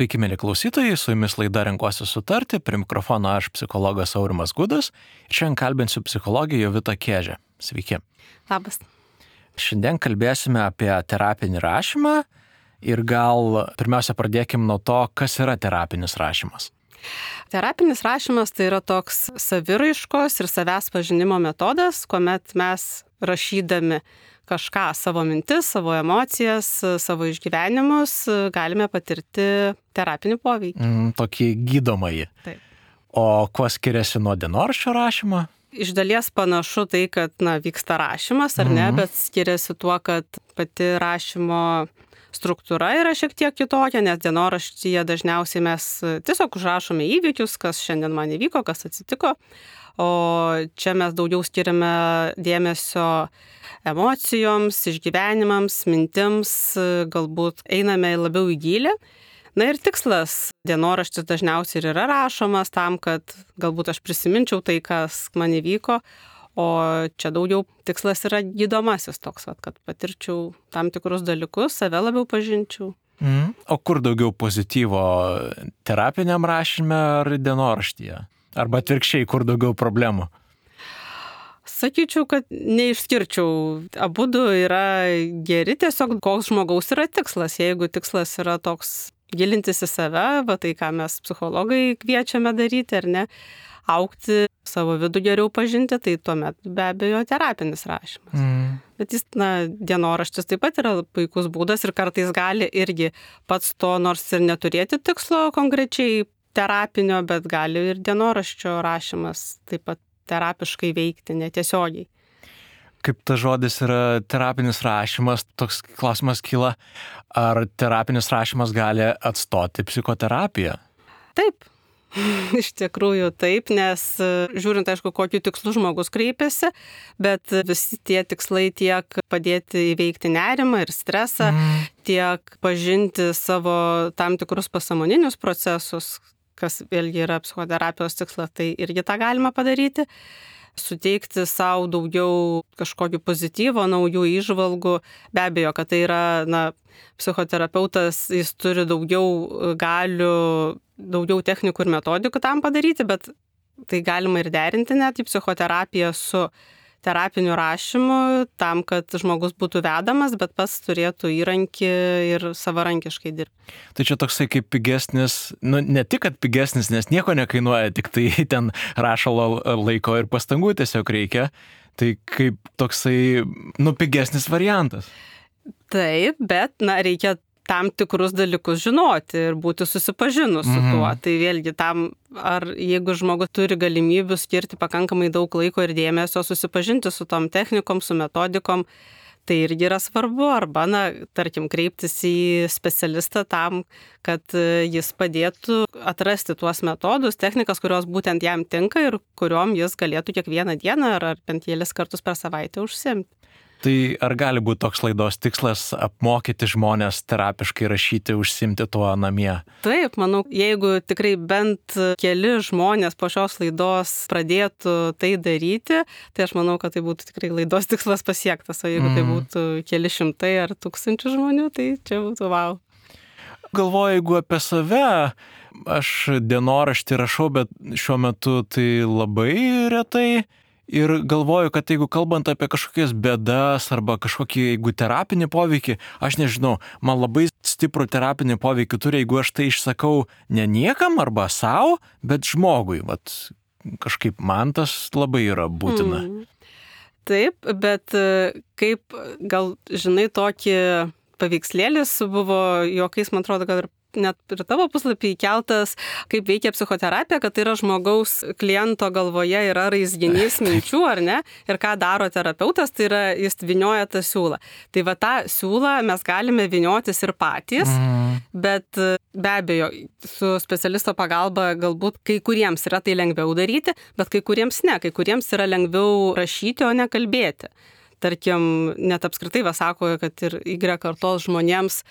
Sveiki, mėly klausytojai, su jumis laida Renkuosi sutarti, prie mikrofono aš psichologas Aurimas Gudas ir šiandien kalbinsiu psichologę Jovitą Kiežę. Sveiki. Labas. Šiandien kalbėsime apie terapinį rašymą ir gal pirmiausia pradėkim nuo to, kas yra terapinis rašymas. Terapinis rašymas tai yra toks saviraiškos ir savęs pažinimo metodas, kuomet mes rašydami kažką, savo mintis, savo emocijas, savo išgyvenimus, galime patirti terapinį poveikį. Tokį gydomąjį. Taip. O kuo skiriasi nuo dienoraščio rašymo? Iš dalies panašu tai, kad vyksta rašymas, ar ne, bet skiriasi tuo, kad pati rašymo struktūra yra šiek tiek kitokia, nes dienoraštyje dažniausiai mes tiesiog užrašome įvykius, kas šiandien man įvyko, kas atsitiko, o čia mes daugiau skiriame dėmesio emocijoms, išgyvenimams, mintims, galbūt einame labiau į gylį. Na ir tikslas dienoraštis dažniausiai ir yra rašomas tam, kad galbūt aš prisiminčiau tai, kas man įvyko, o čia daugiau tikslas yra gydomasis toks, kad patirčiau tam tikrus dalykus, save labiau pažinčiau. O kur daugiau pozityvo, terapiniam rašyme ar dienoraštyje? Arba atvirkščiai, kur daugiau problemų? Sakyčiau, kad neišskirčiau. Abudu yra geri, tiesiog koks žmogaus yra tikslas. Jeigu tikslas yra toks gilintis į save, tai ką mes psichologai kviečiame daryti, ar ne, augti, savo vidų geriau pažinti, tai tuomet be abejo terapinis rašymas. Bet jis, dienoraštis taip pat yra puikus būdas ir kartais gali irgi pats to nors ir neturėti tikslo konkrečiai terapinio, bet gali ir dienoraščio rašymas taip pat terapiškai veikti, netiesiogiai. Kaip tas žodis yra terapinis rašymas, toks klausimas kyla, ar terapinis rašymas gali atstoti psichoterapiją? Taip, iš tikrųjų taip, nes žiūrint, aišku, kokiu tikslu žmogus kreipiasi, bet visi tie tikslai tiek padėti įveikti nerimą ir stresą, tiek pažinti savo tam tikrus pasąmoninius procesus, kas vėlgi yra psichoterapijos tikslas, tai irgi tą galima padaryti. Suteikti savo daugiau kažkokių pozityvo, naujų įžvalgų. Be abejo, kad tai yra, psichoterapeutas, jis turi daugiau galių, daugiau technikų ir metodikų tam padaryti, bet tai galima ir derinti net į psichoterapiją su terapiniu rašymu, tam, kad žmogus būtų vedamas, bet pats turėtų įrankį ir savarankiškai dirbti. Tai čia toksai kaip pigesnis, ne tik, kad pigesnis, nes nieko nekainuoja, tik tai ten rašalo laiko ir pastangų tiesiog reikia, tai kaip toksai, pigesnis variantas. Taip, bet, reikia tam tikrus dalykus žinoti ir būti susipažinus su tuo. Tai vėlgi tam, ar jeigu žmogus turi galimybių skirti pakankamai daug laiko ir dėmesio susipažinti su tom technikom, su metodikom, tai irgi yra svarbu. Arba, tarkim, kreiptis į specialistą tam, kad jis padėtų atrasti tuos metodus, technikas, kurios būtent jam tinka ir kuriuom jis galėtų kiekvieną dieną ar bent kelis kartus per savaitę užsiimti. Tai ar gali būti toks laidos tikslas apmokyti žmonės terapiškai rašyti, užsiimti tuo namie? Taip, manau, jeigu tikrai bent keli žmonės po šios laidos pradėtų tai daryti, tai aš manau, kad tai būtų tikrai laidos tikslas pasiektas, o jeigu tai būtų keli šimtai ar tūkstančių žmonių, tai čia būtų wow. Galvoju, jeigu apie save, aš dienoraštį rašau, bet šiuo metu tai labai retai. Ir galvoju, kad jeigu kalbant apie kažkokias bėdas arba kažkokį, jeigu terapinį poveikį, aš nežinau, man labai stiprų terapinį poveikį turi, jeigu aš tai išsakau ne niekam arba savo, bet žmogui. Kažkaip man tas labai yra būtina. Taip, bet kaip gal žinai, tokį paveikslėlis buvo juokais, man atrodo, kad ir net ir tavo puslapį įkeltas, kaip veikia psichoterapija, kad tai yra žmogaus kliento galvoje yra raizginys minčių, ar ne? Ir ką daro terapeutas, tai yra jis vynioja tą siūlą. Tai tą siūlą mes galime vyniotis ir patys, bet be abejo, su specialisto pagalba galbūt kai kuriems yra tai lengviau daryti, bet kai kuriems ne, kai kuriems yra lengviau rašyti, o ne kalbėti. Tarkim, net apskritai sako, kad ir Y kartos žmonėms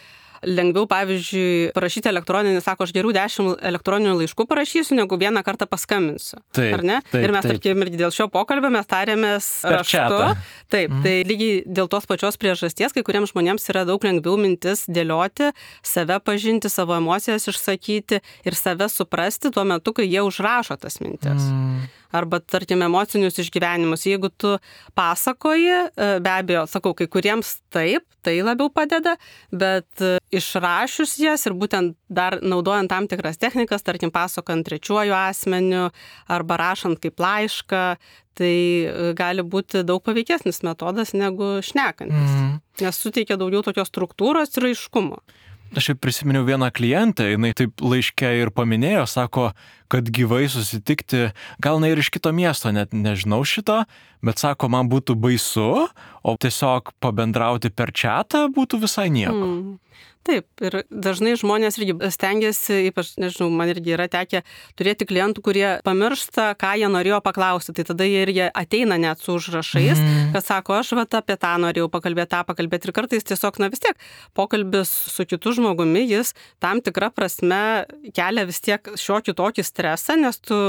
lengviau, pavyzdžiui, parašyti elektroninį, sako, aš geriau 10 elektroninių laiškų parašysiu, negu vieną kartą paskambinsiu. Taip, ar ne? Taip, ir mes, tarkim, irgi dėl šio pokalbio mes tarėmės raštu. Taip, tai lygiai dėl tos pačios priežasties, kai kuriems žmonėms yra daug lengviau mintis dėlioti, save pažinti, savo emocijas išsakyti ir save suprasti tuo metu, kai jie užrašo tas mintis. Arba, tarkim, emocinius išgyvenimus. Jeigu tu pasakoji, be abejo, sakau, kai kuriems taip, tai labiau padeda, bet išrašius jas ir būtent dar naudojant tam tikras technikas, tarkim, pasakojant trečiuoju asmeniu arba rašant kaip laišką, tai gali būti daug paveikesnis metodas negu šnekantis, nes suteikia daugiau tokios struktūros ir aiškumo. Aš prisiminiau vieną klientę, jinai taip laiške ir paminėjo, sako, kad gyvai susitikti, gal ne ir iš kito miesto, net nežinau šito, bet sako, man būtų baisu, o tiesiog pabendrauti per chatą būtų visai nieko. Taip, ir dažnai žmonės irgi stengiasi, ypač, nežinau, man irgi yra tekę turėti klientų, kurie pamiršta, ką jie norėjo paklausti, tai tada jie irgi ateina net su užrašais, kad sako, aš apie tą norėjau pakalbėti ir kartais tiesiog, vis tiek, pokalbis su kitu žmogumi, jis tam tikrą prasme kelia vis tiek šiokį tokį stresą, nes tu,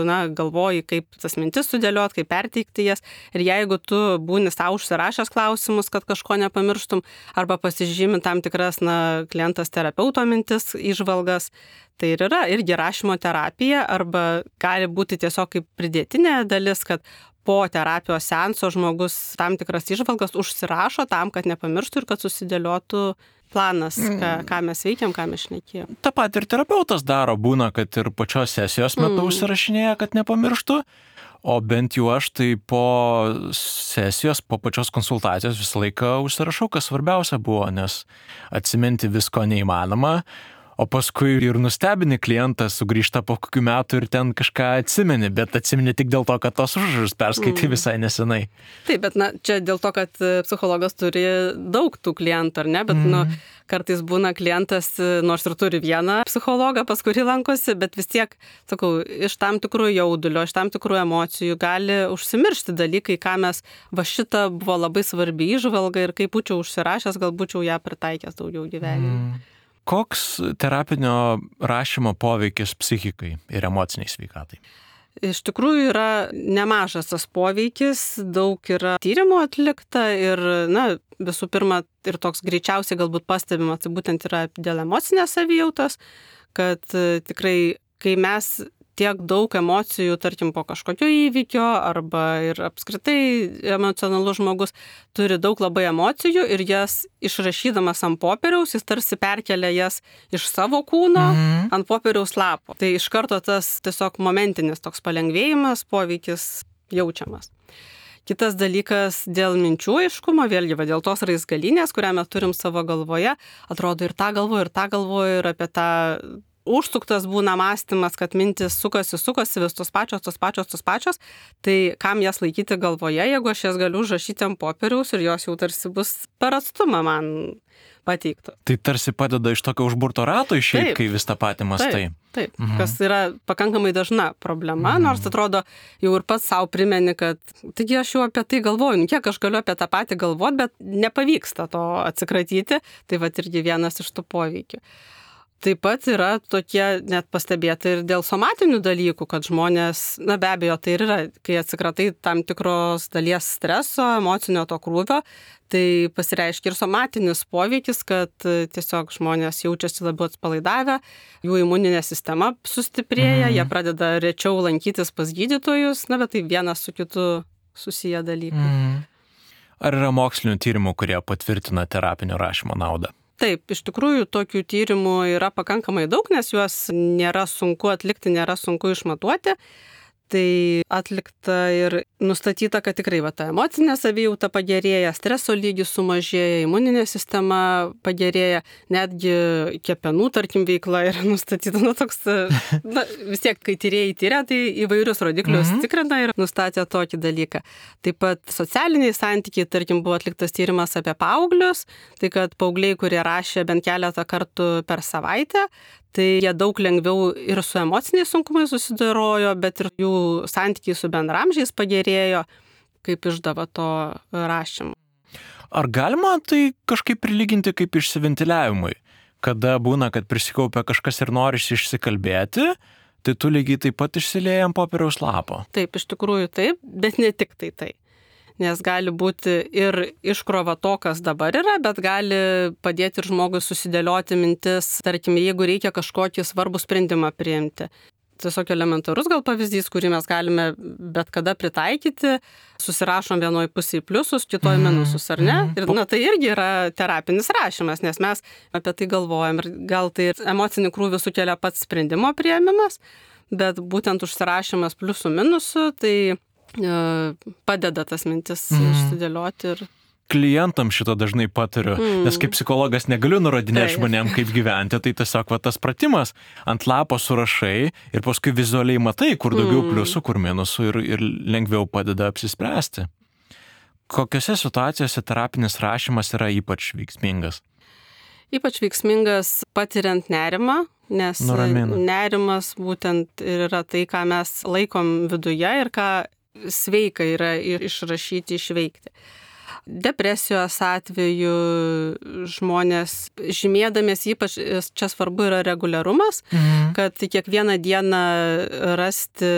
galvoji, kaip tas mintis sudėliot, kaip perteikti jas, ir jeigu tu būni savo užsirašęs klausimus, kad kažko nepamirštum, arba pasižymi tam tikras, klientas terapeuto mintis, įžvalgas, tai ir yra irgi rašymo terapija, arba gali būti tiesiog kaip pridėtinė dalis, kad po terapijos seanso žmogus tam tikras įžvalgas užsirašo tam, kad nepamirštų ir kad susidėliotų planas, ką mes veikiam, ką mes šnekėjom. Ta pat ir terapeutas daro, būna, kad ir pačios sesijos metu užsirašinėja, kad nepamirštų. O bent jau aš tai po sesijos, po pačios konsultacijos visą laiką užsirašau, kas svarbiausia buvo, nes atsiminti visko neįmanoma, o paskui ir nustebini klientą, sugrįžta po kokių metų ir ten kažką atsimeni, bet atsimeni tik dėl to, kad tos užrašus perskaitai visai nesenai. Taip, bet čia dėl to, kad psichologas turi daug tų klientų, ar ne, bet kartais būna klientas, nors ir turi vieną psichologą, pas kurį lankosi, bet vis tiek, sakau, iš tam tikrų jaudulio, iš tam tikrų emocijų gali užsimiršti dalykai, ką mes, šita buvo labai svarbi įžvalga ir kaip būčiau užsirašęs, gal būčiau ją pritaikęs daugiau gyvenime. Koks terapinio rašymo poveikis psichikai ir emociniai sveikatai? Iš tikrųjų yra nemažas tas poveikis, daug yra tyrimų atlikta ir, visų pirma, ir toks greičiausiai galbūt pastebimas, tai būtent yra dėl emocinės savijautos, kad tikrai, kai mes tiek daug emocijų, tarkim, po kažkokio įvykio arba ir apskritai emocionalus žmogus turi daug labai emocijų ir jas išrašydamas ant popieriaus, jis tarsi perkelia jas iš savo kūno ant popieriaus lapo. Tai iš karto tas tiesiog momentinis toks palengvėjimas, poveikis jaučiamas. Kitas dalykas dėl minčių aiškumo, vėlgi dėl tos raizgalynės, kurią mes turim savo galvoje, atrodo ir tą galvoju ir apie tą užsuktas būna mąstymas, kad mintis sukasi, vis tos pačios, tai kam jas laikyti galvoje, jeigu aš jas galiu užrašyti ant popieriaus ir jos jau tarsi bus per atstumą man pateiktos. Tai tarsi padeda iš tokio užburto rato išeiti, kai vis tą patį mastai. Taip, kas yra pakankamai dažna problema, nors atrodo jau ir pats savo primeni, kad taigi aš jau apie tai galvoju, kiek aš galiu apie tą patį galvoti, bet nepavyksta to atsikratyti, tai irgi vienas iš tų poveikių. Taip pat yra tokie net pastebėta ir dėl somatinių dalykų, kad žmonės, be abejo, tai ir yra, kai atsikratai tam tikros dalies streso, emocinio to krūvio, tai pasireiškia ir somatinis poveikis, kad tiesiog žmonės jaučiasi labiau atpalaidavę, jų imuninė sistema sustiprėja, jie pradeda rečiau lankytis pas gydytojus, bet tai vienas su kitu susiję dalykai. Ar yra mokslinių tyrimų, kurie patvirtina terapinio rašymo naudą? Taip, iš tikrųjų tokių tyrimų yra pakankamai daug, nes juos nėra sunku atlikti, nėra sunku išmatuoti. Tai atlikta ir nustatyta, kad tikrai ta emocinė savijauta pagerėja, streso lygis sumažėja, imuninė sistema pagerėja, netgi kepenų, tarkim, veikla yra nustatyta. Vis tiek, kai tyrėjai tyria, tai įvairius rodiklius tikrina ir nustatė tokį dalyką. Taip pat socialiniai santykiai, tarkim, buvo atliktas tyrimas apie paauglius, tai kad paaugliai, kurie rašė bent keletą kartų per savaitę, tai jie daug lengviau ir su emociniais sunkumais susidorojo, bet ir jų santykiai su bendramžiais pagerėjo, kaip išdava to rašymo. Ar galima tai kažkaip prilyginti kaip išsiventiliavimui? kada būna, kad prisikaupia kažkas ir norisi išsikalbėti, tai tu lygiai taip pat išsilieji ant popieriaus lapo. Taip, iš tikrųjų taip, bet ne tik tai. Nes gali būti ir iškrova to, kas dabar yra, bet gali padėti ir žmogui susidėlioti mintis, tarkim, jeigu reikia kažkokį svarbų sprendimą priimti. Tiesiog elementarus gal pavyzdys, kurį mes galime bet kada pritaikyti, susirašom vienoj pusėje pliusus, kitoj minusus, ar ne? Ir tai irgi yra terapinis rašymas, nes mes apie tai galvojam ir gal tai ir emocinį krūvį sukelia pats sprendimo priėmimas, bet būtent užsirašymas pliusų minusų, tai padeda tas mintis išsidėlioti ir... Klientam šito dažnai patariu, nes kaip psichologas negaliu nurodinėti žmonėm, kaip gyventi, tai tiesiog tas pratimas ant lapo surašai ir paskui vizualiai matai, kur daugiau pliusų, kur minusų ir lengviau padeda apsispręsti. Kokiose situacijose terapinis rašymas yra ypač veiksmingas? Ypač veiksmingas patiriant nerimą, nes nerimas būtent yra tai, ką mes laikom viduje ir ką sveika yra išrašyti, išveikti. Depresijos atveju žmonės žymėdamės, ypač čia svarbu yra reguliarumas, kad kiekvieną dieną rasti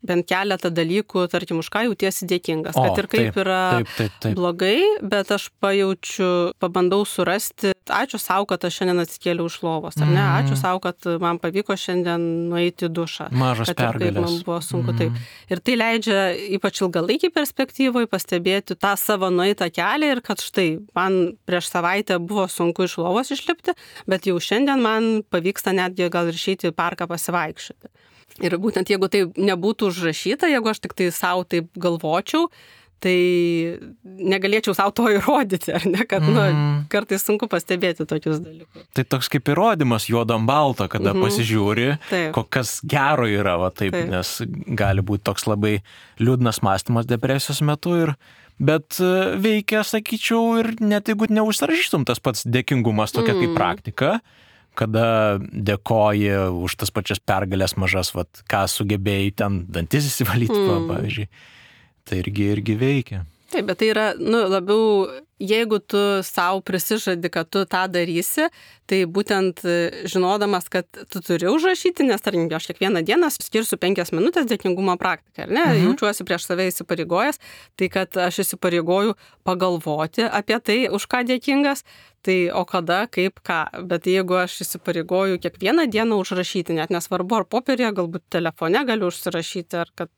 bent keletą dalykų, tarkim, už ką jautiesi dėkingas, kad ir kaip taip. Blogai, bet aš pabandau surasti, ačiū sau, kad aš šiandien atsikėliau iš lovos, ar ne, ačiū sau, kad man pavyko šiandien nueiti į dušą. Mažas pergalės. Kaip man buvo sunku, taip. Ir tai leidžia ypač ilgalaikį perspektyvai pastebėti tą savo nueitą kelią ir kad štai, man prieš savaitę buvo sunku iš lovos išlipti, bet jau šiandien man pavyksta netgi gal ir išeiti į parką pasivaikščioti. Ir būtent jeigu tai nebūtų užrašyta, jeigu aš tik tai savo taip galvočiau, tai negalėčiau savo to įrodyti, ar ne, kad kartais sunku pastebėti tokius dalykus. Tai toks kaip įrodymas juodam balto, kada pasižiūri, kas gero yra, nes gali būti toks labai liūdnas mąstymas depresijos metu, bet veikia, sakyčiau, ir net jeigu neužsirašytum tas pats dėkingumas tokia kaip praktika, kada dėkoji už tas pačias pergalės mažas, ką sugebėjai ten dantis įsivalyti, pavyzdžiui. Tai irgi veikia. Taip, bet tai yra, labiau, jeigu tu savo prisižadi, kad tu tą darysi, tai būtent žinodamas, kad tu turi užrašyti, nes tarkim, aš kiekvieną dieną skirsiu 5 minutės dėkingumo praktiką, ar ne? Jaučiuosi prieš save įsipareigojęs, tai kad aš įsipareigoju pagalvoti apie tai, už ką dėkingas, tai o kada, kaip ką. Bet jeigu aš įsipareigoju kiekvieną dieną užrašyti, net nesvarbu, ar popierėje, galbūt telefone galiu užsirašyti,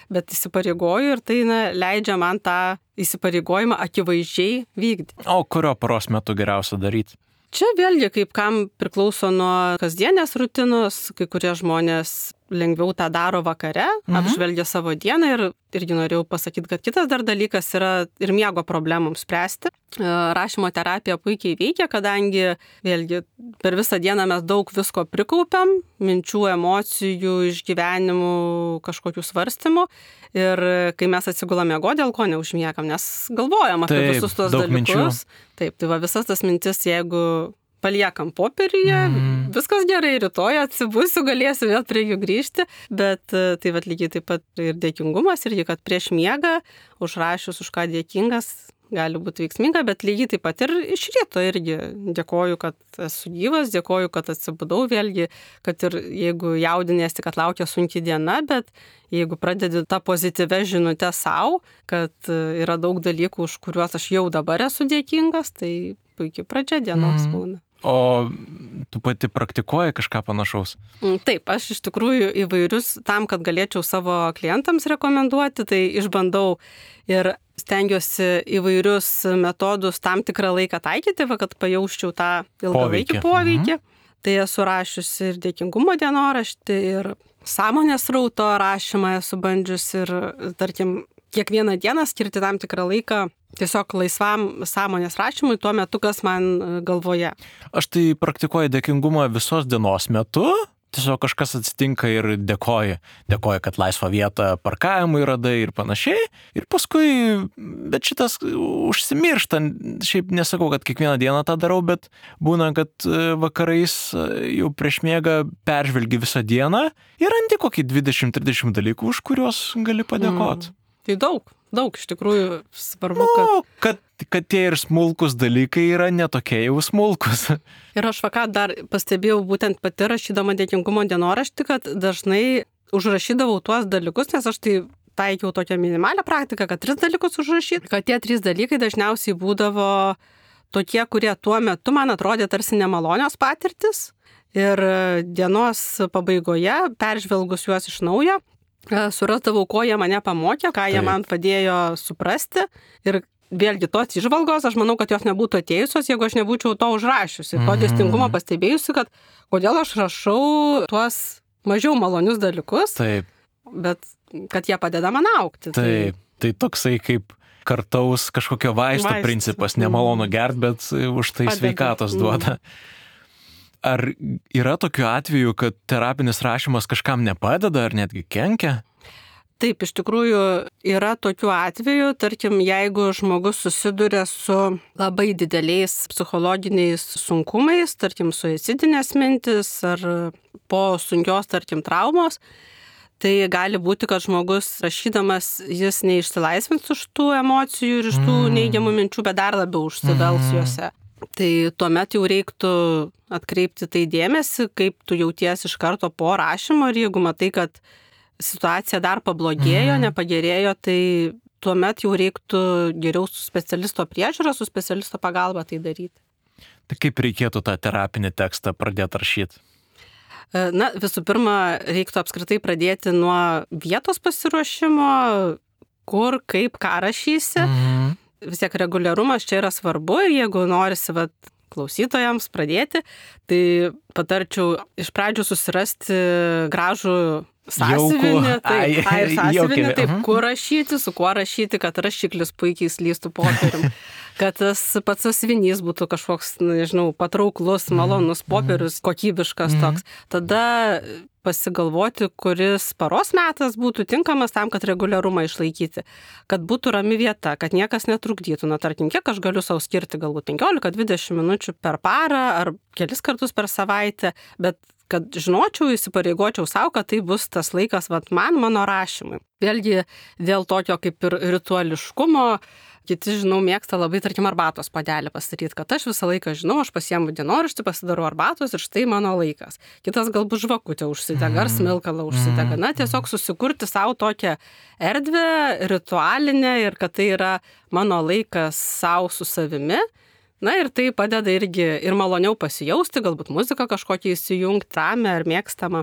bet įsipareigoju ir tai leidžia man tą įsipareigojimą akivaizdžiai vykdyti. O kurio paros metu geriausia daryti? Čia vėlgi kaip kam priklauso nuo kasdienės rutinos, kai kurie žmonės lengviau tą daro vakare, apžvelgia savo dieną ir irgi norėjau pasakyti, kad kitas dar dalykas yra ir miego problemams spręsti. Rašymo terapija puikiai veikia, kadangi vėlgi per visą dieną mes daug visko prikaupiam, minčių, emocijų, išgyvenimų, kažkokių svarstymų ir kai mes atsigulam miegoti, dėl ko neužmiegam, nes galvojam apie visus tos dalykus. Minčių. Taip, tai visas tas mintis, jeigu paliekam popieriuje, viskas gerai, rytoj atsibusiu, galėsiu vėl prie jų grįžti, bet tai lygiai taip pat ir dėkingumas, irgi, kad prieš miegą užrašius, už ką dėkingas, gali būti veiksminga, bet lygiai taip pat ir iš ryto irgi dėkoju, kad esu gyvas, dėkoju, kad atsibudau vėlgi, kad ir jeigu jaudinėsi, kad laukia sunki diena, bet jeigu pradedi tą pozityvę žinutę savo, kad yra daug dalykų, už kuriuos aš jau dabar esu dėkingas, tai puikiai pradžia dienos būna. O tu pati praktikuoji kažką panašaus? Taip, aš iš tikrųjų įvairius, tam, kad galėčiau savo klientams rekomenduoti, tai išbandau ir stengiuosi įvairius metodus tam tikrą laiką taikyti, kad pajausčiau tą ilgalaikį poveikį. Tai esu rašiusi ir dėkingumo dienoraštį, ir sąmonės srauto rašymą esu bandžiusi ir, tarkim, kiekvieną dieną skirti tam tikrą laiką tiesiog laisvam sąmonės rašymui tuo metu, kas man galvoje. Aš tai praktikuoju dėkingumą visos dienos metu. Tiesiog kažkas atsitinka ir dėkoju. Dėkoju, kad laisvą vietą parkavimui radai ir panašiai. Ir paskui, bet šitas užsimiršta. Šiaip nesakau, kad kiekvieną dieną tą darau, bet būna, kad vakarais jau prieš miegą peržvelgi visą dieną ir randi kokį 20-30 dalykų, už kuriuos gali padėkoti. Tai daug iš tikrųjų svarbu, kad tie ir smulkus dalykai yra netokie jau smulkus. Ir aš ką dar pastebėjau būtent pati rašydama dėkingumo dienoraštį, kad dažnai užrašydavau tuos dalykus, nes aš tai taikiau tokią minimalią praktiką, kad 3 dalykus užrašyti, kad tie 3 dalykai dažniausiai būdavo tokie, kurie tuo metu man atrodė tarsi nemalonios patirtis. Ir dienos pabaigoje, peržvelgus juos iš naujo, surasdavau, ko jie mane pamokė, ką jie man padėjo suprasti. Ir vėlgi tos įžvalgos, aš manau, kad jos nebūtų atėjusios, jeigu aš nebūčiau to užrašiusi. To dėsningumo pastebėjusi, kad kodėl aš rašau tuos mažiau malonius dalykus, bet kad jie padeda man augti. Tai toksai kaip kartaus kažkokio vaisto principas, nemalonu gert, bet už tai sveikatos duoda. Ar yra tokių atvejų, kad terapinis rašymas kažkam nepadeda ar netgi kenkia? Taip, iš tikrųjų yra tokių atvejų, tarkim, jeigu žmogus susiduria su labai dideliais psichologiniais sunkumais, tarkim, suicidinės mintis ar po sunkios, tarkim, traumos, tai gali būti, kad žmogus rašydamas jis neišsilaisvins iš tų emocijų ir iš tų neigiamų minčių, bet dar labiau užsivels juose. Tai tuomet jau reiktų atkreipti tai dėmesį, kaip tu jauties iš karto po rašymo ir jeigu matai, kad situacija dar pablogėjo, nepagerėjo, tai tuomet jau reiktų geriau su specialisto priežiūra, su specialisto pagalba tai daryti. Tai kaip reikėtų tą terapinį tekstą pradėti rašyti? Na, visų pirma, reiktų apskritai pradėti nuo vietos pasiruošimo, kur, kaip, ką rašysi. Vis tiek reguliarumas čia yra svarbu ir jeigu norisi klausytojams pradėti, tai patarčiau iš pradžių susirasti gražų sąsiuvinį, taip, kur rašyti, su kuo rašyti, kad rašiklis puikiai slystų popierium, kad tas pats sąsiuvinys būtų kažkoks, nežinau, patrauklus, malonus popierius, kokybiškas toks. Tada pasigalvoti, kuris paros metas būtų tinkamas tam, kad reguliarumą išlaikyti, kad būtų rami vieta, kad niekas netrukdytų. Na, tarkim, kiek aš galiu savo skirti, galbūt 15-20 minučių per parą ar kelis kartus per savaitę, bet kad žinočiau, įsipareigočiau savo, kad tai bus tas laikas mano rašymui. Vėlgi dėl tokio kaip ir rituališkumo, kiti, žinau, mėgsta labai, tarkim, arbatos puodelį pasidaryti, kad aš visą laiką žinau, aš pasiemu dienoraštį, pasidarau arbatos ir štai mano laikas. Kitas galbūt žvakutę užsidega ar smilkalą užsidega. Na, tiesiog susikurti savo tokią erdvę, ritualinę ir kad tai yra mano laikas savo su savimi. Na ir tai padeda irgi ir maloniau pasijausti, galbūt muziką kažkokią įsijungti, ramę ar mėgstamą.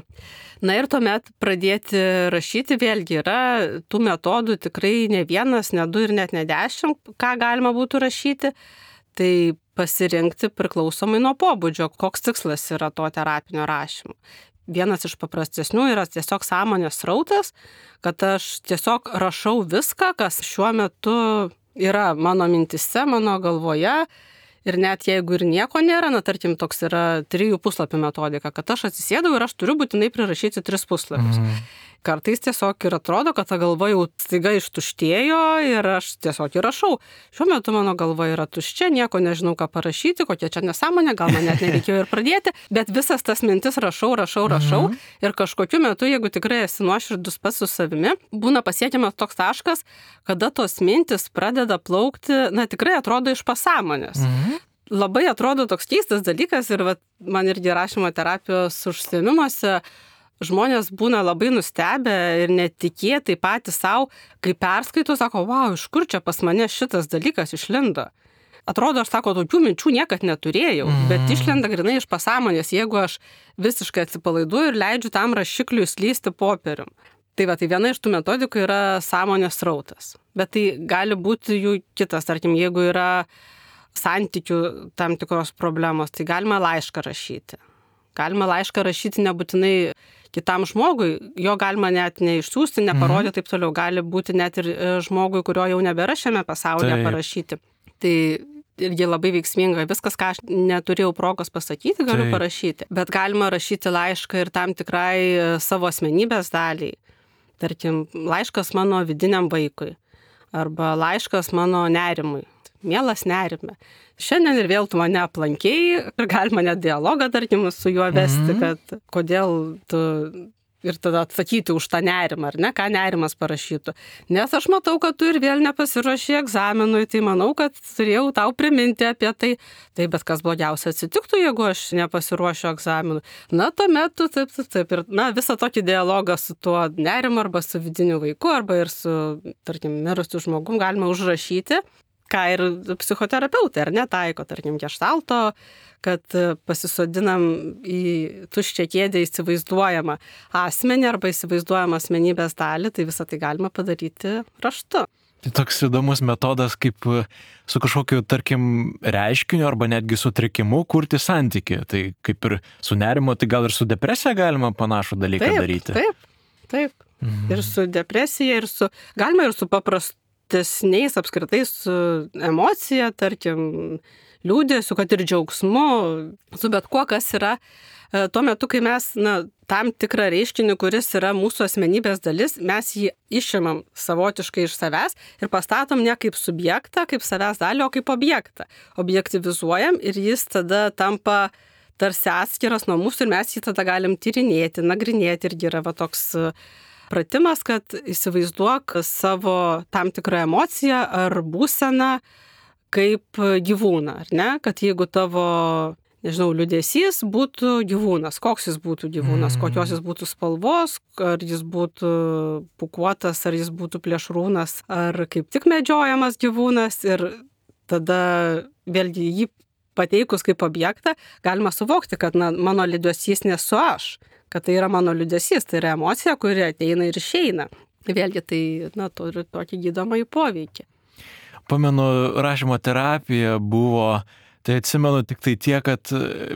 Na ir tuomet pradėti rašyti vėlgi yra tų metodų tikrai ne 1, ne 2 ir net ne 10, ką galima būtų rašyti. Tai pasirinkti priklausomai nuo pobūdžio, koks tikslas yra to terapinio rašymo. Vienas iš paprastesnių yra tiesiog sąmonės srautas, kad aš tiesiog rašau viską, kas šiuo metu yra mano mintise, mano galvoje. Ir net jeigu ir nieko nėra, na, tarkim, toks yra 3 puslapių metodika, kad aš atsisėdau ir aš turiu būtinai prirašyti 3 puslapius. Kartais tiesiog ir atrodo, kad ta galva jau staiga ištuštėjo ir aš tiesiog ir rašau. Šiuo metu mano galva yra tuščia, nieko nežinau, ką parašyti, kokia čia nesąmonė, gal man net nereikėjo ir pradėti, bet visas tas mintis rašau ir kažkokiu metu, jeigu tikrai esi nuoširdus pats su savimi, būna pasiekiamas toks taškas, kada tos mintis pradeda plaukti, na, tikrai atrodo iš pasąmonės. Labai atrodo toks keistas dalykas ir man irgi rašymo terapijos užsiėmimuose žmonės būna labai nustebę ir netikėtai patys savo, kai perskaito, sako, wow, iš kur čia pas mane šitas dalykas išlindo. Atrodo, aš sako, tokių minčių niekad neturėjau, bet išlenda grinai iš pasąmonės, jeigu aš visiškai atsipalaiduoju ir leidžiu tam rašikliui slysti popierium. Tai viena iš tų metodikų yra sąmonės srautas. Bet tai gali būti jų kitas, tarkim, jeigu yra santykių tam tikros problemos, tai galima laišką rašyti. Galima laišką rašyti nebūtinai kitam žmogui, jo galima net neišsiųsti, neparodyti taip toliau. Gali būti net ir žmogui, kurio jau nebėra šiame pasaulyje parašyti. Tai irgi labai veiksminga. Viskas, ką aš neturėjau progos pasakyti, galiu parašyti. Bet galima rašyti laišką ir tam tikrai savo asmenybės daliai. Tarkim, laiškas mano vidiniam vaikui. Arba laiškas mano nerimui. Mielas nerime. Šiandien ir vėl tu mane aplankėjai ir galima net dialogą, tarkim, su juo vesti, kad kodėl tu ir tada atsakyti už tą nerimą, ar ne, ką nerimas parašytų. Nes aš matau, kad tu ir vėl nepasiruoši egzaminui, tai manau, kad turėjau tau priminti apie tai. Tai bet kas blogiausia atsitiktų, jeigu aš nepasiruošiu egzaminui. Na, tuomet tu taip. Ir, visą tokį dialogą su tuo nerimu arba su vidiniu vaiku, arba ir su, tarkim, mirusiu žmogum galima užrašyti, ką ir psichoterapeutai, ar netaiko, tarkim, geštalto, kad pasisodinam į tuščią kėdę įsivaizduojamą asmenį arba įsivaizduojamą asmenybės dalį, tai visą tai galima padaryti raštu. Tai toks įdomus metodas, kaip su kažkokiu, tarkim, reiškiniu arba netgi sutrikimu kurti santykį. Tai kaip ir su nerimo, tai gal ir su depresija galima panašų dalyką daryti. Taip. Ir su depresija, galima ir su paprastesniais apskritai su emocija, tarkim, liūdėsiu, kad ir džiaugsmu, su bet kuo, kas yra tuo metu, kai mes tam tikrą reiškinį, kuris yra mūsų asmenybės dalis, mes jį išimam savotiškai iš savęs ir pastatom ne kaip subjektą, kaip savęs dalį, o kaip objektą. Objektivizuojam ir jis tada tampa tarsi atskiras nuo mūsų ir mes jį tada galim tyrinėti, nagrinėti irgi yra toks pratimas, kad įsivaizduok savo tam tikrą emociją ar būseną kaip gyvūną, ar ne? Kad jeigu tavo, liūdesys būtų gyvūnas, koks jis būtų gyvūnas, kokios jis būtų spalvos, ar jis būtų pūkuotas, ar jis būtų plėšrūnas, ar kaip tik medžiojamas gyvūnas ir tada vėlgi jį pateikus kaip objektą galima suvokti, kad mano liūdesys nesu aš, kad tai yra mano liūdesys, tai yra emocija, kuri ateina ir išeina. Vėlgi tai turi tokį gydomąjį poveikį. Pamenu, rašymo terapija buvo, tai atsimenu tik tai tiek, kad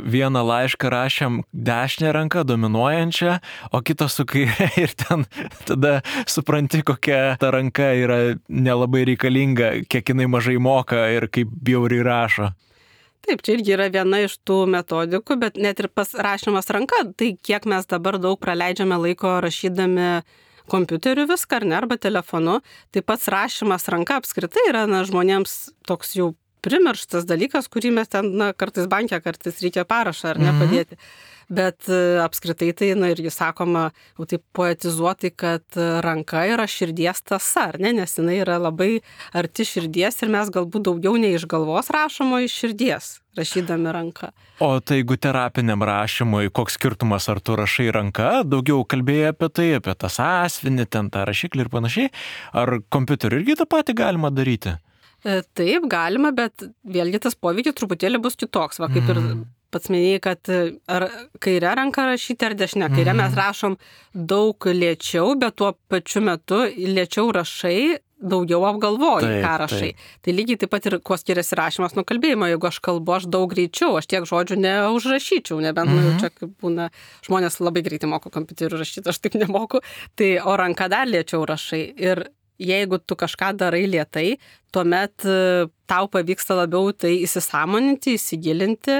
vieną laišką rašėm dešinę ranką dominuojančią, o kitą su kairė ir ten tada supranti, kokia ta ranka yra nelabai reikalinga, kiek jinai mažai moka ir kaip bjauriai rašo. Taip, čia irgi yra viena iš tų metodikų, bet net ir pas rašymas ranka, tai kiek mes dabar daug praleidžiame laiko rašydami kompiuteriu viską, ar ne, arba telefonu, tai pats rašymas ranka apskritai yra žmonėms toks jau primirštas dalykas, kurį mes ten, kartais banke, kartais reikia parašą, ar ne, padėti. Bet apskritai tai, irgi sakoma, jau taip poetizuotai, kad ranka yra širdies tąsa, ar ne, nes jinai yra labai arti širdies ir mes galbūt daugiau nei iš galvos rašom, o iš širdies, rašydami ranką. O tai jeigu terapiniam rašymui, koks skirtumas, ar tu rašai ranka, daugiau kalbėjai apie tai, apie tą sąsiuvinį, ten tą rašiklį ir panašiai, ar kompiuteriu irgi tą patį galima daryti? Taip, galima, bet vėlgi tas poveikis truputėlį bus kitoks, kaip ir pats minėjai, kad ar kairę ranką rašyti ar dešinę. Kairę mes rašom daug lėčiau, bet tuo pačiu metu lėčiau rašai, daugiau apgalvoji, ką rašai. Tai lygiai taip pat ir kuo skiriasi rašymas nuo kalbėjimo. Jeigu aš kalbu, aš daug greičiau, aš tiek žodžių neužrašyčiau, nebent čia kaip būna, žmonės labai greitai moko kompiuteriu rašyti, aš taip nemoku, tai o ranka dar lėčiau rašai. Ir jeigu tu kažką darai lėtai, tuomet tau pavyksta labiau tai įsisąmoninti, įsigilinti.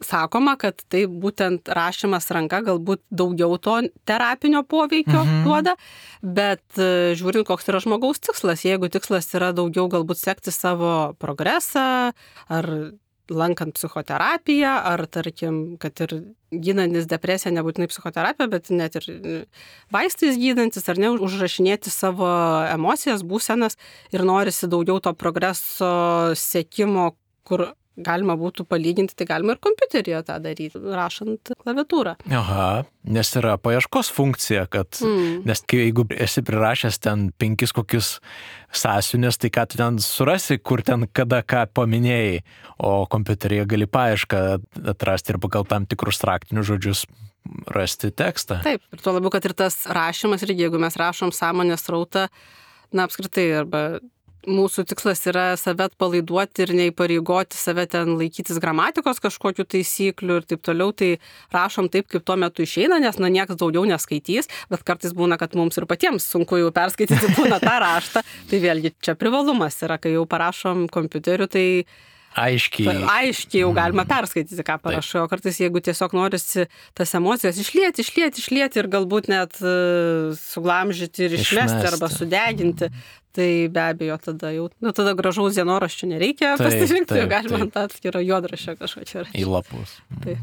Sakoma, kad tai būtent rašymas ranka galbūt daugiau to terapinio poveikio duoda, bet žiūrint, koks yra žmogaus tikslas. Jeigu tikslas yra daugiau galbūt sekti savo progresą, ar lankant psichoterapiją, ar tarkim, kad ir gydantis depresiją, nebūtinai psichoterapija, bet net ir vaistais gydantis, ar ne, užrašinėti savo emocijas, būsenas ir norisi daugiau to progreso sekimo, kur galima būtų palyginti, tai galima ir kompiuteryje tą daryti, rašant klaviatūrą. Aha, nes yra paieškos funkcija, kad, nes jeigu esi prirašęs ten 5 kokius sąsiuvinius, tai ką tu ten surasi, kur ten kada ką paminėjai, o kompiuteryje gali paiešką atrasti ir pagal tam tikrus raktinius žodžius rasti tekstą. Taip, ir tuo labiau, kad ir tas rašymas, ir jeigu mes rašom sąmonės srautą, apskritai, arba mūsų tikslas yra save atpalaiduoti ir neįpareigoti save ten laikytis gramatikos kažkokių taisyklių ir taip toliau, tai rašom taip, kaip tuo metu išeina, nes niekas daugiau neskaitys, bet kartais būna, kad mums ir patiems sunku jau perskaityti būna tą raštą, tai vėlgi čia privalumas yra, kai jau parašom kompiuteriu, tai aiškiai jau galima perskaityti, ką parašau, o kartais jeigu tiesiog norisi tas emocijas išlieti ir galbūt net suglamžyti ir išmesti arba sudeginti, tai be abejo tada jau, tada gražaus dienoraščio nereikia pasirinkti, galima ant atskiro juodraščio kažkokio rašyti. Į lapus. Taip.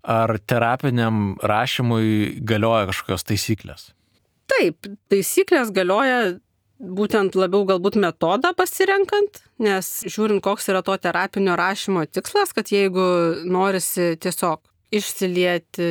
ar terapiniam rašymui galioja kažkokios taisyklės? Taip, taisyklės galioja būtent labiau galbūt metodą pasirenkant, nes žiūrint, koks yra to terapinio rašymo tikslas, kad jeigu norisi tiesiog išsilieti,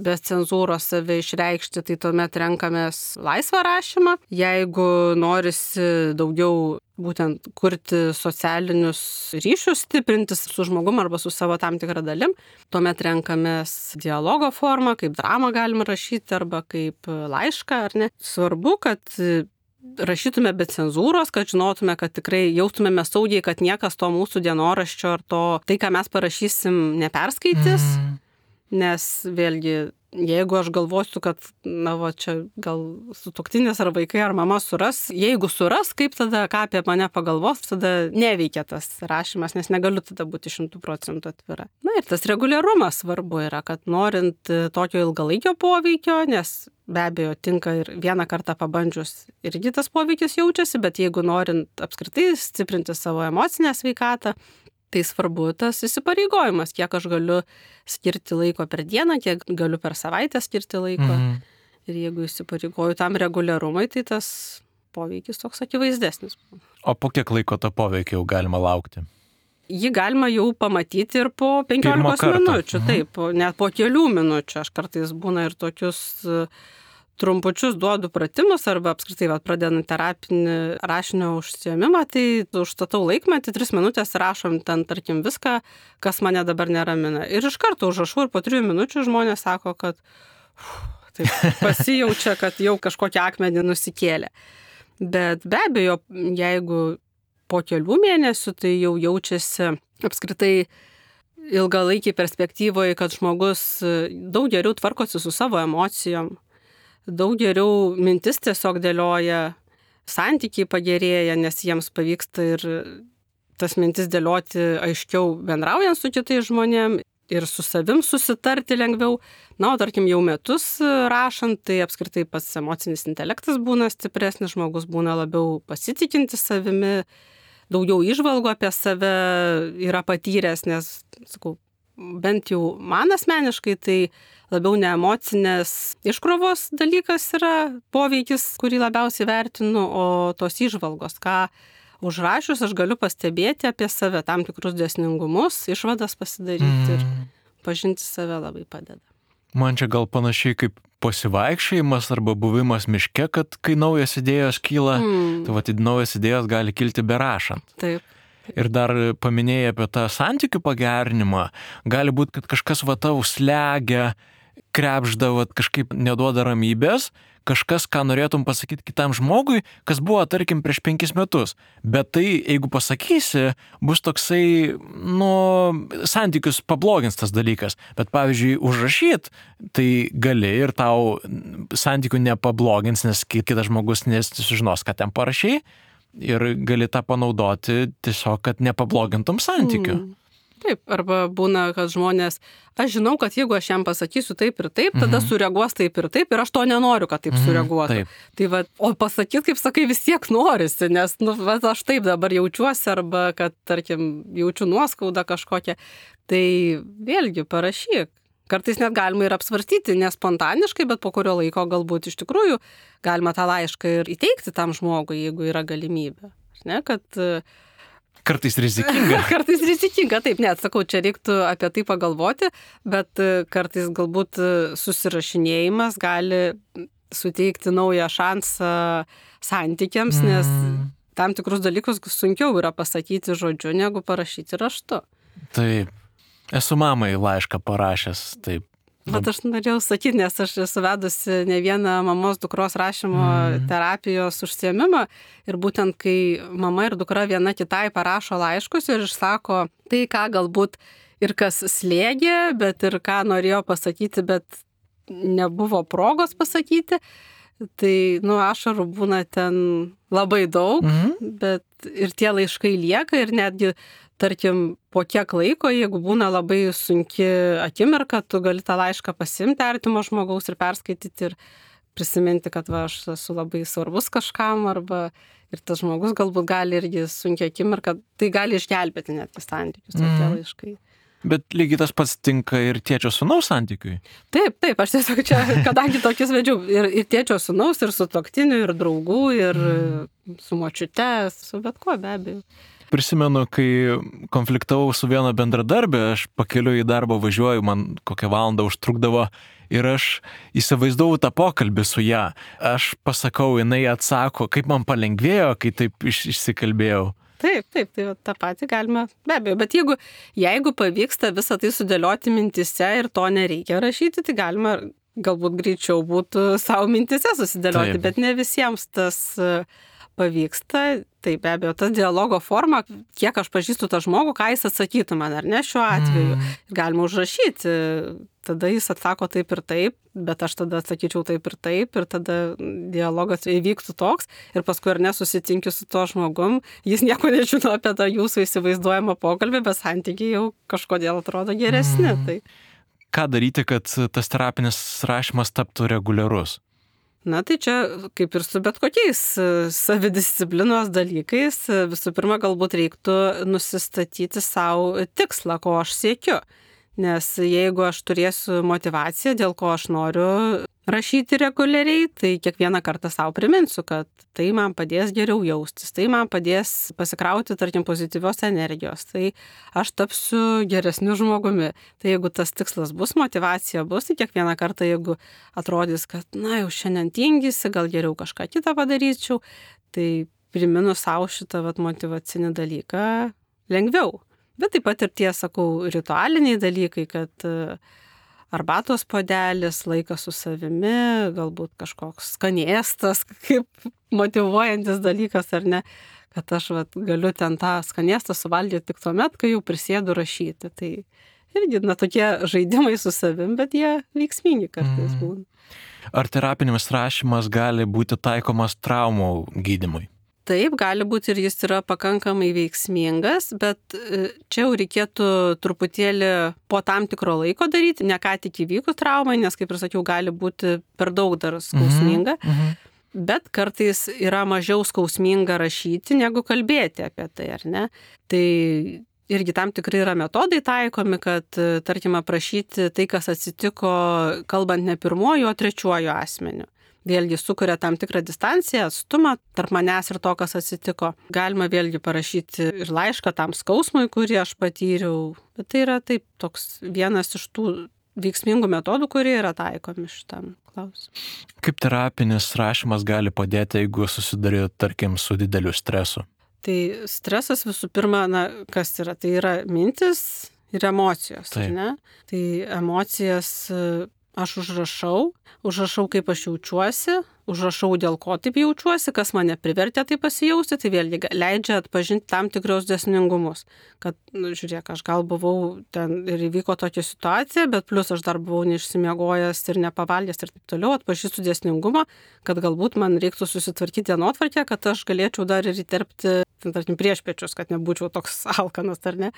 be cenzūros save išreikšti, tai tuomet renkamės laisvą rašymą. Jeigu norisi daugiau būtent kurti socialinius ryšius, stiprintis su žmogum arba su savo tam tikrą dalim, tuomet renkamės dialogo formą, kaip dramą galima rašyti arba kaip laišką, ar ne. Svarbu, kad rašytume be cenzūros, kad žinotume, kad tikrai jaustumėme saugiai, kad niekas to mūsų dienoraščio ar tai, ką mes parašysim, neperskaitys. Nes vėlgi, jeigu aš galvosiu, kad, čia gal sutuoktinis ar vaikai ar mama suras, jeigu suras, kaip tada, ką apie mane pagalvos, tada neveikia tas rašymas, nes negaliu tada būti 100% atvira. Ir tas reguliarumas svarbu yra, kad norint tokio ilgalaikio poveikio, nes be abejo tinka ir vieną kartą pabandžius irgi tas poveikis jaučiasi, bet jeigu norint apskritai stiprinti savo emocinę sveikatą, tai svarbu tas įsipareigojimas, kiek aš galiu skirti laiko per dieną, kiek galiu per savaitę skirti laiko. Ir jeigu įsipareigoju tam reguliarumai, tai tas poveikis toks akivaizdesnis. O po kiek laiko to poveikio jau galima laukti? Jį galima jau pamatyti ir po 15 minučių, taip, net po kelių minučių. Aš kartais būna ir tokius trumpučius duodu pratimus arba apskritai pradedant terapinį rašinio užsiėmimą, tai užstatau laikmetį, 3 minutės rašom ten, tarkim, viską, kas mane dabar neramina. Ir iš karto užrašau ir po 3 minučių žmonės sako, kad taip, pasijaučia, kad jau kažkokią akmenį nusikėlė. Bet be abejo, jeigu po kelių mėnesių, tai jau jaučiasi apskritai ilgalaikiai perspektyvoje, kad žmogus daug geriau tvarkosi su savo emocijom, daug geriau mintis tiesiog dėlioja, santykiai pagerėja, nes jiems pavyksta ir tas mintis dėlioti aiškiau bendraujant su kitais žmonėm ir su savim susitarti lengviau. O tarkim jau metus rašant, tai apskritai pats emocinis intelektas būna stipresnis, žmogus būna labiau pasitikinti savimi, daugiau įžvalgų apie save yra patyręs, nes, sakau, bent jau man asmeniškai, tai labiau ne emocinės iškrovos dalykas yra poveikis, kurį labiausiai vertinu, o tos įžvalgos, ką užrašius aš galiu pastebėti apie save, tam tikrus dėsningumus, išvadas pasidaryti ir pažinti save labai padeda. Man čia gal panašiai kaip pasivaikščiojimas arba buvimas miške, kad kai naujas idėjos kyla, tai naujas idėjos gali kilti berašant. Taip. Ir dar paminėjai apie tą santykių pagerinimą. Gali būti, kad kažkas tau slegia, krepžda, kažkaip neduoda ramybės, kažkas, ką norėtum pasakyti kitam žmogui, kas buvo, tarkim, prieš 5 metus. Bet tai, jeigu pasakysi, bus toksai, santykius pablogins tas dalykas. Bet, pavyzdžiui, užrašyt, tai gali ir tau santykių nepablogins, nes kitas žmogus nesužinos, ką ten parašei. Ir gali tą panaudoti tiesiog, kad nepablogintum santykių. Taip, arba būna, kad žmonės, aš žinau, kad jeigu aš jam pasakysiu taip ir taip, tada sureaguos taip ir aš to nenoriu, kad taip sureaguotų. Tai o pasakyti, kaip sakai, vis tiek norisi, nes aš taip dabar jaučiuosi, arba kad, tarkim, jaučiu nuoskaudą kažkokią. Tai vėlgi parašyk. Kartais net galima ir apsvarstyti, ne spontaniškai, bet po kurio laiko galbūt iš tikrųjų galima tą laišką ir įteikti tam žmogui, jeigu yra galimybė. Ne, kad kartais rizikinga. Kartais rizikinga, taip, net sakau, čia reiktų apie tai pagalvoti, bet kartais galbūt susirašinėjimas gali suteikti naują šansą santykiams, nes tam tikrus dalykus sunkiau yra pasakyti žodžiu, negu parašyti raštu. Taip. Esu mamai laišką parašęs, taip. Bet aš norėjau sakyti, nes aš esu vedusi ne vieną mamos dukros rašymo terapijos užsiėmimą ir būtent kai mama ir dukra viena kitai parašo laiškus ir išsako tai, ką galbūt ir kas slėgė, bet ir ką norėjo pasakyti, bet nebuvo progos pasakyti, tai, ašarų būna ten labai daug, bet ir tie laiškai lieka ir netgi tarkim, po kiek laiko, jeigu būna labai sunki akimirka, tu gali tą laišką pasiimti artimo žmogaus ir perskaityti ir prisiminti, kad aš esu labai svarbus kažkam, arba ir tas žmogus galbūt gali irgi sunkia akimirka, tai gali išgelbėti net santykius, tokie laiškai. Bet lygiai tas pats tinka ir tėčio sūnaus santykiui. Taip, aš tiesiog čia, kadangi tokius vedžiau ir tėčio sūnaus, ir su toktiniu, ir draugų, ir su močiute, su bet kuo be abejo. Prisimenu, kai konfliktavau su viena bendradarbė, aš pakeliu į darbą važiuoju, man kokią valandą užtrukdavo ir aš įsivaizdavau tą pokalbį su ją. Aš pasakau, jinai atsako, kaip man palengvėjo, kai taip išsikalbėjau. Taip, tai tą patį galima, be abejo, bet jeigu pavyksta visą tai sudėlioti mintise ir to nereikia rašyti, tai galima galbūt greičiau būtų savo mintise susidėlioti, bet ne visiems tas pavyksta. Tai be abejo, tas dialogo forma, kiek aš pažįstu tą žmogų, ką jis atsakytų man, ar ne šiuo atveju. Galima užrašyti, tada jis atsako taip ir taip, bet aš tada atsakyčiau taip ir tada dialogas įvyktų toks ir paskui ar nesusitinkiu su tuo žmogum, jis nieko nežino apie tą jūsų įsivaizduojamą pokalbį, bet santykiai jau kažkodėl atrodo geresni. Tai. Ką daryti, kad tas terapinis rašymas taptų reguliarus? Na tai čia kaip ir su bet kokiais savidisciplinos dalykais, visų pirma galbūt reiktų nusistatyti savo tikslą, ko aš siekiu. Nes jeigu aš turėsiu motivaciją, dėl ko aš noriu rašyti reguliariai, tai kiekvieną kartą savo priminsiu, kad tai man padės geriau jaustis, tai man padės pasikrauti, tarkim, pozityvios energijos, tai aš tapsiu geresniu žmogumi. Tai jeigu tas tikslas bus, motivacija bus, tai kiekvieną kartą, jeigu atrodys, kad, jau šiandien tingisi, gal geriau kažką kitą padaryčiau, tai priminu savo šitą motyvacinį dalyką lengviau. Bet taip pat ir tie, sakau, ritualiniai dalykai, kad arbatos puodelis, laikas su savimi, galbūt kažkoks skanėstas, kaip motyvuojantis dalykas, ar ne, kad aš galiu ten tą skanėstą suvalgyti tik tuomet, kai jau prisėdu rašyti. Tai irgi, tokie žaidimai su savim, bet jie veiksmingi kartais būna. Ar terapinis rašymas gali būti taikomas traumų gydymui? Taip, gali būti ir jis yra pakankamai veiksmingas, bet čia jau reikėtų truputėlį po tam tikro laiko daryti, ne ką tik įvykus traumai, nes, kaip ir sakiau, gali būti per daug dar skausminga, bet kartais yra mažiau skausminga rašyti, negu kalbėti apie tai, ar ne? Tai irgi tam tikrai yra metodai taikomi, kad, tarkim, aprašyti tai, kas atsitiko, kalbant ne pirmuoju, o trečiuoju asmeniu. Vėlgi sukuria tam tikrą distanciją, atstumą tarp manęs ir to, kas atsitiko. Galima vėlgi parašyti ir laišką tam skausmui, kurį aš patyriau. Bet tai yra taip toks vienas iš tų veiksmingų metodų, kurie yra taikomi šitam klausimui. Kaip terapinis rašymas gali padėti, jeigu susiduri, tarkim, su dideliu stresu? Tai stresas visų pirma, kas yra? Tai yra mintis ir emocijos, ne? Tai emocijas aš užrašau, kaip aš jaučiuosi, užrašau, dėl ko taip jaučiuosi, kas mane privertė taip pasijausti, tai vėlgi leidžia atpažinti tam tikrus dėsningumus. Kad, žiūrėk, aš gal buvau ten ir įvyko tokia situacija, bet plus aš dar buvau neišsimiegojęs ir nepavalgęs ir taip toliau, atpažįstu dėsningumą, kad galbūt man reiktų susitvarkyti dienotvarkę, kad aš galėčiau dar ir įterpti, tarkim, priešpiečius, kad nebūčiau toks alkanas, ar ne.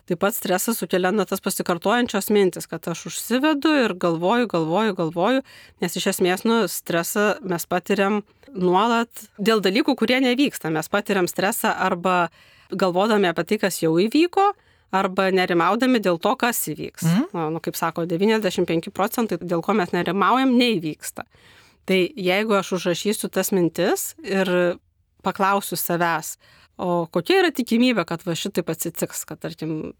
Taip pat stresas sukelia tas pasikartojančios mintis, kad aš užsivedu ir galvoju, nes iš esmės stresą mes patiriam nuolat dėl dalykų, kurie nevyksta. Mes patiriam stresą arba galvodami apie tai, kas jau įvyko, arba nerimaudami dėl to, kas įvyks. Kaip sako, 95%, dėl ko mes nerimaujam, neįvyksta. Tai jeigu aš užrašysiu tas mintis ir paklausiu savęs, o kokia yra tikimybė, kad šitaip atsitiks, kad, tarkim,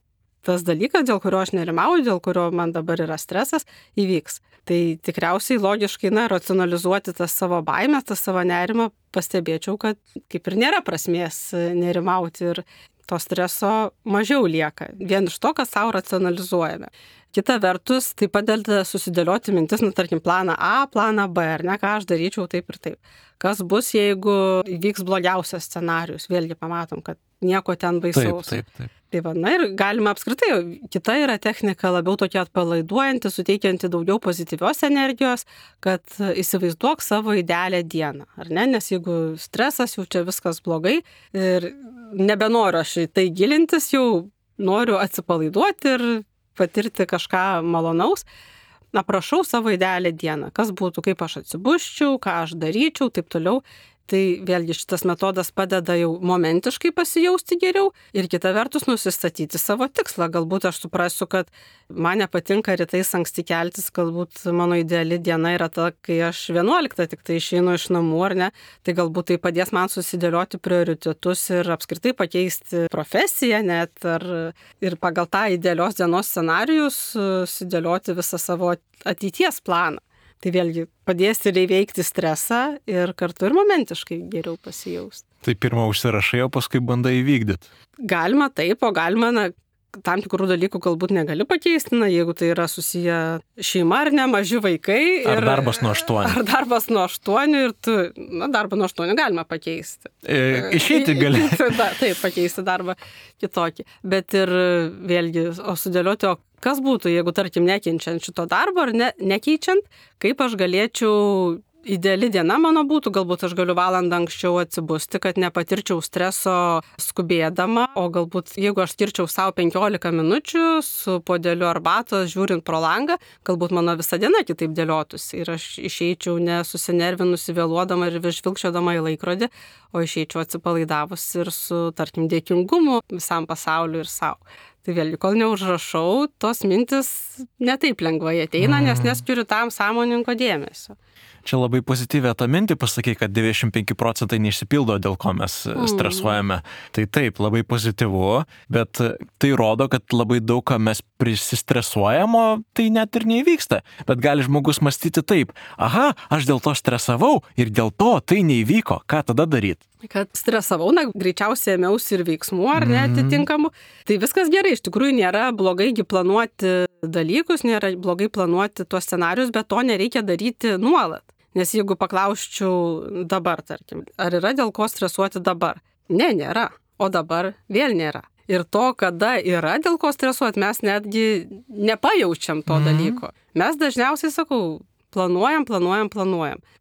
tas dalykas, dėl kurio aš nerimauju, dėl kurio man dabar yra stresas, įvyks. Tai tikriausiai logiškai, racionalizuoti tas savo baimės, tas savo nerimą, pastebėčiau, kad kaip ir nėra prasmės nerimauti ir to streso mažiau lieka. Vien iš to, kad savo racionalizuojame. Kita vertus, tai padeda susidėlioti mintis, tarkim, planą A, planą B, ar ne, ką aš daryčiau taip ir taip. Kas bus, jeigu įvyks blogiausias scenarius? Vėlgi pamatom, kad nieko ten baisaus. Taip. Tai ir galima apskritai, kita yra technika labiau tokia atpalaiduojanti, suteikianti daugiau pozityvios energijos, kad įsivaizduok savo idealią dieną, ar ne? Nes jeigu stresas, jau čia viskas blogai ir nebenoriu aš į tai gilintis, jau noriu atsipalaiduoti ir patirti kažką malonaus, aprašau savo idealią dieną, kas būtų, kaip aš atsibusčiau, ką aš daryčiau, taip toliau. Tai vėlgi šitas metodas padeda jau momentiškai pasijausti geriau ir kita vertus nusistatyti savo tikslą. Galbūt aš suprasiu, kad man nepatinka rytais anksti keltis, galbūt mano ideali diena yra ta, kai aš 11 tik tai išeinu iš namų, ar ne. Tai galbūt tai padės man susidėlioti prioritetus ir apskritai pakeisti profesiją net ir pagal tą idealios dienos scenarijus susidėlioti visą savo ateities planą. Tai vėlgi padės ir įveikti stresą ir kartu ir momentiškai geriau pasijausti. Tai pirmą užsirašai, o paskui bandai įvykdyti. Galima taip, o galima, tam tikrų dalykų galbūt negali pakeisti, jeigu tai yra susiję šeima ar ne, maži vaikai. Ar darbas nuo 8. Ar darbas nuo 8 ir tu, darbą nuo 8 galima pakeisti. Išeiti gali. Taip, pakeisti darbą kitokį. Bet ir vėlgi, o sudėlioti, kas būtų, jeigu, tarkim, nekenčiant šito darbo ar nekeičiant, kaip aš galėčiau, ideali diena mano būtų, galbūt aš galiu valandą anksčiau atsibusti, kad nepatirčiau streso skubėdama, o galbūt jeigu aš skirčiau savo 15 minučių su puodeliu arbatos, žiūrint pro langą, galbūt mano visa diena kitaip dėliotųsi ir aš išeičiau nesusinervinusi, vėluodama ir žvilgčiodama į laikrodį, o išeičiau atsipalaidavus ir su, tarkim, dėkingumu visam pasauliu ir savo. Tai vėlgi, kol neužrašau, tos mintis netaip lengvai ateina, nes neskiriu tam sąmoningo dėmesio. Čia labai pozityvę tą mintį pasakai, kad 95% neišsipildo, dėl ko mes stresuojame. Tai taip, labai pozityvu, bet tai rodo, kad labai daug ką mes prisistresuojam, o tai net ir neįvyksta. Bet gali žmogus mąstyti taip, aha, aš dėl to stresavau ir dėl to tai neįvyko, ką tada daryti? Kad stresavau, greičiausiai ėmiausi ir veiksmų ar neatitinkamų. Tai viskas gerai, iš tikrųjų nėra blogai planuoti dalykus, nėra blogai planuoti tuos scenarius, bet to nereikia daryti nuolat. Nes jeigu paklausčiau dabar, tarkim, ar yra dėl ko stresuoti dabar? Ne, nėra. O dabar vėl nėra. Ir to, kada yra dėl ko stresuoti, mes netgi nepajaučiam to dalyko. Mes dažniausiai, sakau, planuojam.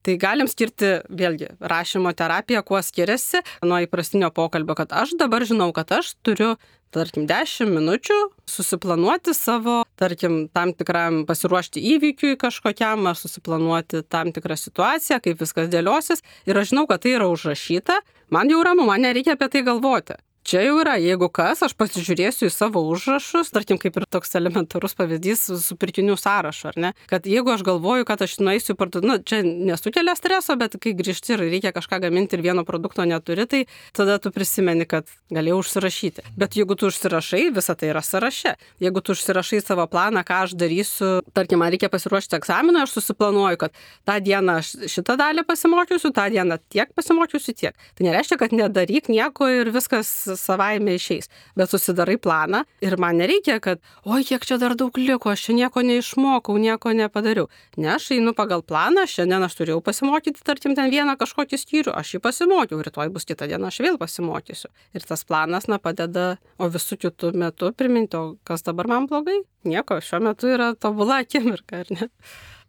Tai galim skirti, vėlgi, rašymo terapiją, kuo skiriasi nuo įprastinio pokalbio, kad aš dabar žinau, kad aš turiu, tarkim, 10 minučių susiplanuoti savo, tarkim, tam tikram pasiruošti įvykiui kažkokiam, ar susiplanuoti tam tikrą situaciją, kaip viskas dėliosis. Ir aš žinau, kad tai yra užrašyta, man jau ramu, man nereikia apie tai galvoti. Čia jau yra, jeigu kas, aš pasižiūrėsiu į savo užrašus, tarkim, kaip ir toks elementarus pavyzdys su pirkinių sąrašu, ar ne? Kad jeigu aš galvoju, kad aš nueisiu parduoti, čia nesukelia streso, bet kai grįžti ir reikia kažką gaminti ir vieno produkto neturi, tai tada tu prisimeni, kad galėjau užsirašyti. Bet jeigu tu užsirašai, visa tai yra sąraše. Jeigu tu užsirašai savo planą, ką aš darysiu, tarkim, man reikia pasiruošti egzaminui, aš susiplanuoju, kad tą dieną aš šitą dalį pasimokysiu, tą dieną tiek pasimokysiu, tiek. Tai nereiškia, kad nedaryk nieko ir viskas savaime išeis, bet susidarai planą ir man nereikia, kad, oi, kiek čia dar daug liko, aš čia nieko neišmokau, nieko nepadariau. Ne, aš einu pagal planą, šiandien aš turėjau pasimokyti, tarkim, ten vieną kažkokį skyrių, aš jį pasimokiau, rytoj bus kitą dieną, aš vėl pasimokysiu. Ir tas planas, padeda, o visų kitų metų priminti, o kas dabar man blogai? Nieko, šiuo metu yra tobula akimirka, ar ne?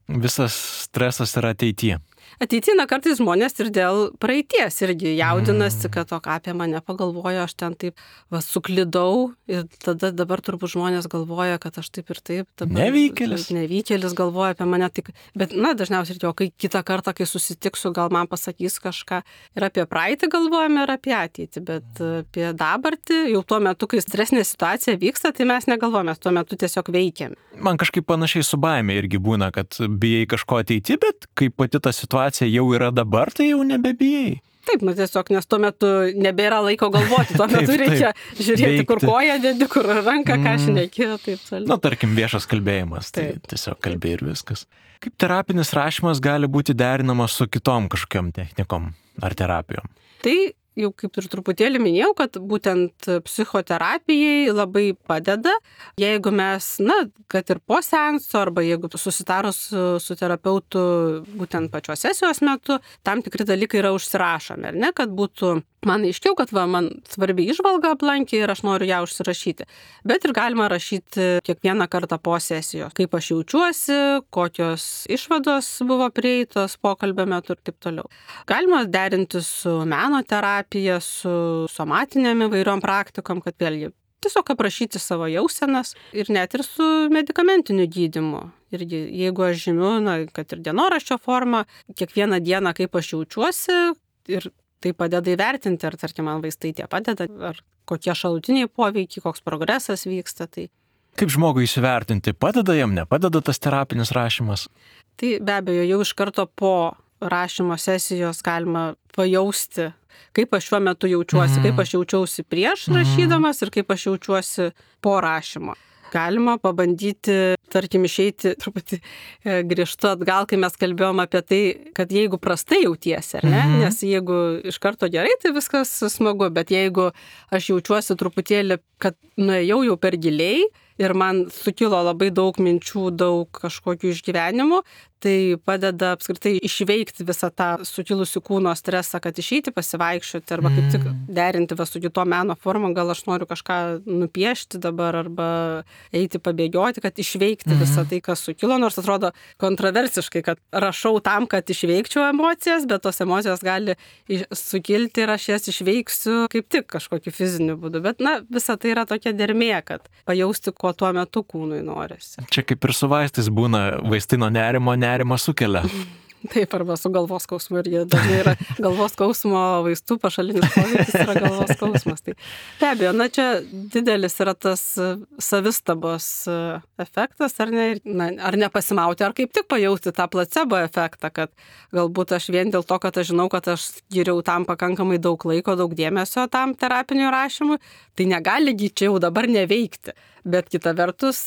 Visas stresas yra ateityje. Ateityje kartais žmonės ir dėl praeities irgi jaudinasi, kad o ką apie mane pagalvojo, aš ten taip suklydau ir tada dabar turbūt žmonės galvoja, kad aš taip ir taip. Nevykėlis galvoja apie mane. Tik, bet, dažniausiai ir kai kitą kartą, kai susitiksiu, gal man pasakys kažką ir apie praeitį galvojame, ir apie ateitį, bet apie dabartį, jau tuo metu, kai stresinė situacija vyksta, tai mes negalvojame, tuo metu tiesiog veikiame. Man kažkaip panašiai su baime irgi būna, kad bijai kažko ateiti, bet kai pati ta situacija jau yra dabar, tai jau nebebijai. Taip, tiesiog, nes tuo metu nebėra laiko galvoti, tuo metu reikia žiūrėti, veikti. Kur koja dedi, kur ranka, ką šneki, taip toliau. Tarkim, viešas kalbėjimas, tai tiesiog kalbė ir viskas. Kaip terapinis rašymas gali būti derinamas su kitom kažkokiam technikom ar terapijom? Tai jau kaip ir truputėlį minėjau, kad būtent psichoterapijai labai padeda, jeigu mes, kad ir po seanso, arba jeigu susitarus su terapeutu būtent pačios sesijos metu, tam tikri dalykai yra užsirašomi, ar ne, kad būtų man aiškiau, kad man svarbi įžvalga aplankė ir aš noriu ją užsirašyti. Bet ir galima rašyti kiekvieną kartą po sesijos, kaip aš jaučiuosi, kokios išvados buvo prieitos pokalbio metu ir taip toliau. Galima derinti su meno terapija, su somatinėm įvairiom praktikom, kad vėlgi tiesiog aprašyti savo jausenas ir net ir su medikamentiniu gydymu. Irgi, jeigu aš žymiu, kad ir dienoraščio forma, kiekvieną dieną, kaip aš jaučiuosi, ir tai padeda įvertinti, ar tarkim man vaistai tie padeda, ar kokie šalutiniai poveikiai, koks progresas vyksta. Tai Kaip žmogui įsivertinti, padeda jam, nepadeda tas terapinis rašymas? Tai be abejo, jau iš karto po rašymo sesijos galima pajausti, kaip aš šiuo metu jaučiuosi, kaip aš jaučiausi prieš rašydamas ir kaip aš jaučiuosi po rašymo. Galima pabandyti, tarkim, išeiti truputį grįžtu atgal, kai mes kalbėjom apie tai, kad jeigu prastai jautiesi, ar ne? Nes jeigu iš karto gerai, tai viskas smagu, bet jeigu aš jaučiuosi truputėlį, kad nuėjau jau per giliai ir man sukilo labai daug minčių, daug kažkokių išgyvenimų, tai padeda apskritai išveikti visą tą sukilusių kūno stresą, kad išeiti pasivaikščioti arba kaip tik derinti su kito meno formą, gal aš noriu kažką nupiešti dabar arba eiti pabėgioti, kad išveikti visą tai, kas sukilo, nors atrodo kontroversiškai, kad rašau tam, kad išveikčiau emocijas, bet tos emocijos gali sukilti ir aš jas išveiksiu kaip tik kažkokiu fiziniu būdu. Bet visa tai yra tokia dermė, kad pajausti, ko tuo metu kūnui norisi. Čia kaip ir su vaistais būna, vaistai nuo nerimo sukelia. Taip, arba su galvos skausmu irgi dažnai yra galvos skausmo vaistų pašalinis poveikis yra galvos skausmas. Tai be abejo, čia didelis yra tas savistabos efektas, ar ne, ar nepasimauti, ar kaip tik pajausti tą placebo efektą, kad galbūt aš vien dėl to, kad aš žinau, kad aš skiriau tam pakankamai daug laiko, daug dėmesio tam terapiniui rašymui, tai negali čia jau dabar neveikti. Bet kita vertus,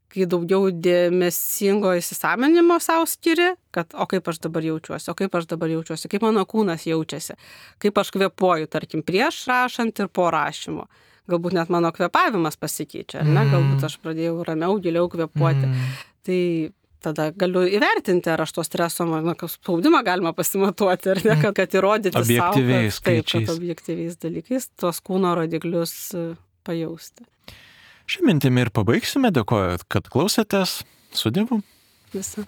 kai daugiau dėmesingo įsisąmoninimo savo skiri, kad o kaip aš dabar jaučiuosi, kaip mano kūnas jaučiasi, kaip aš kvėpuoju, tarkim, prieš rašant ir po rašymo. Galbūt net mano kvėpavimas pasikeičia, ar ne? Galbūt aš pradėjau ramiau, giliau kvėpuoti. Tai tada galiu įvertinti, ar aš to streso, spaudimą galima pasimatuoti, ar ne, kad įrodyti objektyviais savo, kad objektyviais dalykais tos kūno rodiklius pajausti. Šią mintimį ir pabaigsime. Dėkoju, kad klausėtės. Su Dievu. Visą.